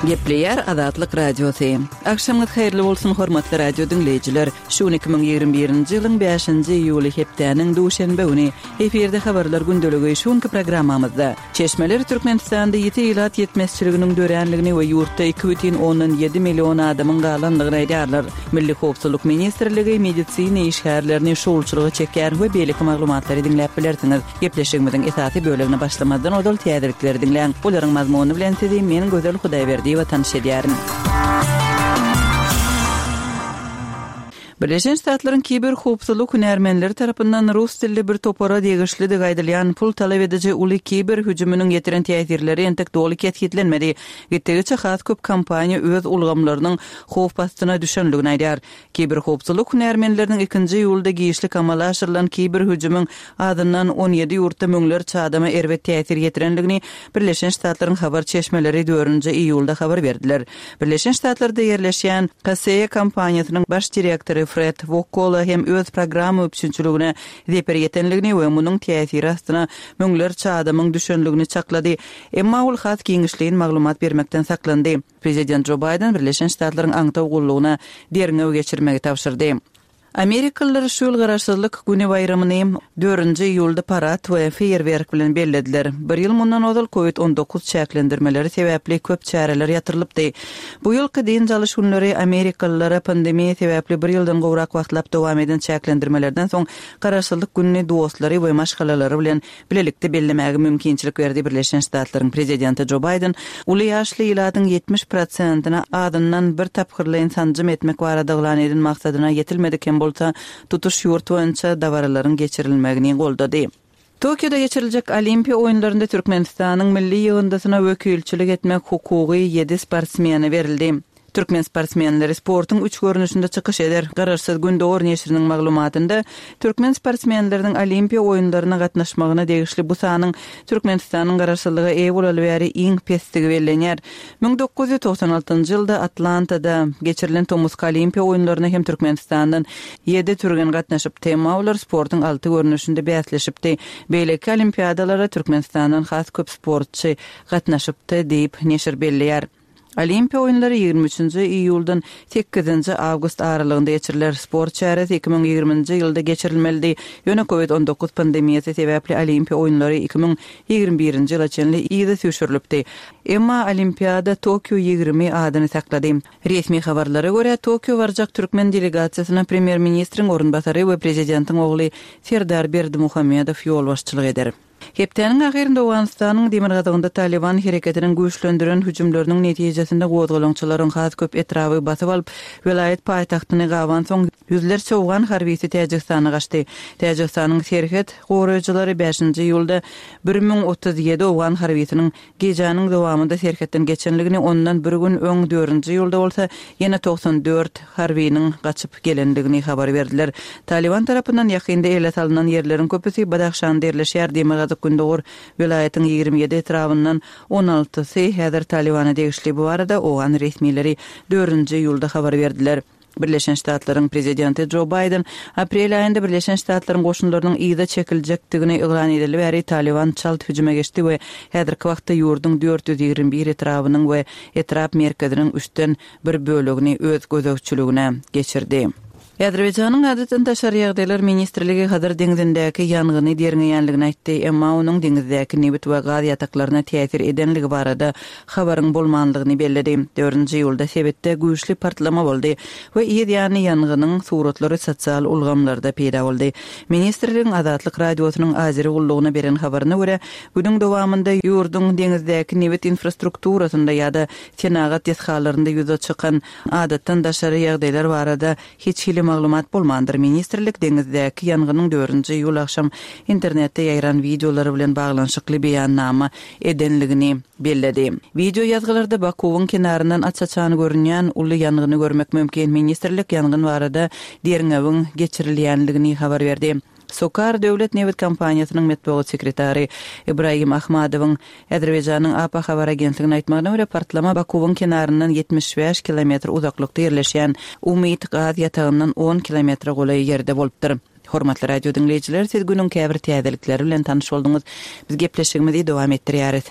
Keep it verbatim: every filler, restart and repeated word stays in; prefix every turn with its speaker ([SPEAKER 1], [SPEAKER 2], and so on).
[SPEAKER 1] Gepleýär Azatlyk Radiosy. Agşamyňyz haýyrly bolsun, hormatly radio diňleýjiler. Şu gün iki müň ýigrimi birinji ýylyň bäşinji iýuly hepdäniň duşenbe güni. Efirde habarlar gündeligi şu günki programmamyzda. Çeşmeler Türkmenistanda ýiti ilat ýetmezçiliginiň döränligini we ýurtda iki bütin ondan ýedi million adamyň galandygyny aýdýarlar. Milli howpsuzlyk ministrligi medisina işgärlerini şowulçylyga çekýär we beýleki maglumatlary diňläp bilersiňiz. Gepleşigimiziň esasy bölegine başlamazdan ozal täzelikleri diňläň. Olaryň mazmuny bilen sizi men Gözel Hudaýberdiýewa tanyş edýärin. Birleşen Ştatlaryň kiber howpsuzlyk hünärmenleri tarapyndan rus dilli bir topara degişlidigi aýdylýan pul talap ediji uly kiber hüjüminiň ýetiren täsirleri entek doly kesgitlenmedi. Gitdigiçe has köp kompaniýa öz ulgamlarynyň howp astyna düşenligini aýdýar. Kiber howpsuzlyk hünärmenleriniň ikinji iýulda giçlik amala aşyrylan kiber hüjümiň azyndan on ýedi ýurtda müňlerçe adama erbet täsir ýetirenligini Birleşen Ştatlaryň habar çeşmeleri dördünji iýulda habar berdiler. Birleşen Ştatlarda ýerleşýän Kaseya kompaniýasynyň baş direktory Fred Wokkola hem öz programma üpjünçiligine zeper ýetenligini we munuň täsiri astyna müňlerçe adamyň düşenligini çaklady. Emma ol has giňişleýin maglumat bermekden saklandy. Prezident Jo Baýden Birleşen Ştatlaryň aňtaw gullugyna derňew geçirmegi tabşyrdy. Amerikalylar şu ýyl Garaşsyzlyk güni baýramyny dördünji iýulda parad we feýerwerk bilen bellediler. Bir ýyl mundan ozal covid on dokuz çäklendirmeleri sebäpli köp çäreler ýatyrylypdy. Bu ýylky dynç alyş günleri amerikalylara pandemiýa sebäpli bir ýyldan gowrak wagtlap dowam eden çäklendirmelerden soň Garaşsyzlyk gününi dostlary we maşgalalary bilen bilelikde bellemäge mümkinçilik berdi. Birleşen Ştatlaryň prezidenti Jo Baýden uly ýaşly ilatyň ýetmiş prosentine azyndan bir tapgyrlaýyn sanjym etmek barada yglan eden maksadyna ýetilmedik hem bolsa tutuş ýurt boýunça dabaralaryň geçirilmegini goldady. Tokioda geçiriljek Olimpiýa oýunlarynda Türkmenistanyň milli ýygyndysyna wekilçilik etmek hukugy ýedi sportsmene berildi. Türkmen sportsmenleri sportuň üç görnüşinde çykyş eder. Garaşsyz Gündogar neşiriniň maglumatynda türkmen sportsmenleriniň Olimpiýa oýunlaryna gatnaşmagyna degişli bu sanyň Türkmenistanyň garaşsyzlyga eýe bolaly bäri iň pesdigi bellenýär. Müň dokuz ýüz togsan altynjy ýylda Atlantada geçirilen tomusky Olimpiýa oýunlaryna hem Türkmenistandan ýedi türgen gatnaşypdy. Emma olar sportuň alty görnüşinde bäsleşipdi. Beýleki olimpiadalara Türkmenistandan has köp sportçy gatnaşypdy diýip neşir belleýär. Olimpiýa oýunlary ýigrimi üçünji iýuldan sekizinji awgust aralygynda geçiriler. Sport çäresi iki müň ýigriminji ýylda geçirilmelidi. Ýöne covid on dokuz pandemiýasy sebäpli Olimpiýa oýunlary iki müň ýigrimi birinji ýyla çenli yza süýşürilipdi. Emma Olimpiada Tokio ýigrimi adyny saklady. Resmi habarlara görä, Tokio barjak türkmen delegasiýasyna premýer-ministriň orunbasary we prezidentiň ogly Serdar Berdimuhamedow ýolbaşçylyk eder. Hepdäniň ahyrynda Owganystanyň demirgazygynda Taliban hereketiniň güýçlendiren hüjümleriniň netijesinde gozgalaňçylaryň has köp etraby basyp alyp, welaýat paýtagtyny gabansoň ýüzlerçe owgan harbisi Täjigistana gaçdy. Täjigistanyň serhet goraýjylary bäşinji iýulda bir müň otuz ýedi owgan harbisiniň gijäniň dowamynda serhetden geçenligini, ondan bir gün öň dördünji iýulda bolsa ýene togsan dört harbiniň gaçyp gelendigini habar berdiler. Taliban tarapyndan ýakynda ele salynan ýerleriň köpüsi Badahşanda ýerleşýär. Demirgazyk Gündogar welaýatyň ýigrimi ýedi etrabyndan on altysy häzir Talibana degişli. Bu barada owgan resmileri dördünji iýulda habar berdiler. Birleşen Ştatlaryň prezidenti Jo Baýden aprel aýynda Birleşen Ştatlaryň goşunlarynyň yza çekiljekdigini yglan edeli bäri Taliban çalt hüjüme geçdi we häzirki wagtda ýurduň dört ýüz ýigrimi bir etrabynyň we etrap merkeziniň üçden bir bölegini öz gözegçiligine geçirdi. Azerbaýjanyň adatdan daşary ýagdaýlar ministrligi Hazar deňzindäki ýangyny derňeýänligini aýtdy, emma onuň deňizdäki nebit we gaz ýataklaryna täsir edenligi barada habaryň bolmanlygyny belledi. Dördünji iýulda sebitde güýçli partlama boldy we yz ýany ýangynyň suratlary sosial ulgamlarda peýda boldy. Ministrligiň Azatlyk radiosynyň Azeri gullugyna beren habaryna görä, günüň dowamynda ýurduň deňizdäki nebit infrastrukturasynda ýa-da senagat desgalarynda ýüze çykan adatdan daşary ýagdaýlar barada hiç hili maglumat bolmandyr. Ministrlik deňizdäki ýangynyň dördünji iýul agşam internetde ýaýran wideolary bilen baglanyşykly beýannama edenligini belledi. Video ýazgylarda Bakuwyň kenaryndan aç-açan görünýän uly ýangyny görmek mümkin. Ministrlik ýangyn barada derňewiň geçirilýänligini habar berdi. Sokar Döwlet Nebit kompaniýasynyň metbugat sekretary Ibrahim Ahmadowyň Azerbaýjanyň A P habar agentligine aýtmagyna görä, partlama Bakuwyň kenaryndan ýetmiş bäş kilometr uzaklykda ýerleşýän Umyt gaz ýatagyndan on kilometre golaý ýerde bolupdyr. Hormatly radio diňleýjiler, siz günüň käbir täzelikleri bilen tanyş bolduňyz. Biz gepleşigimizi dowam etdirýäris.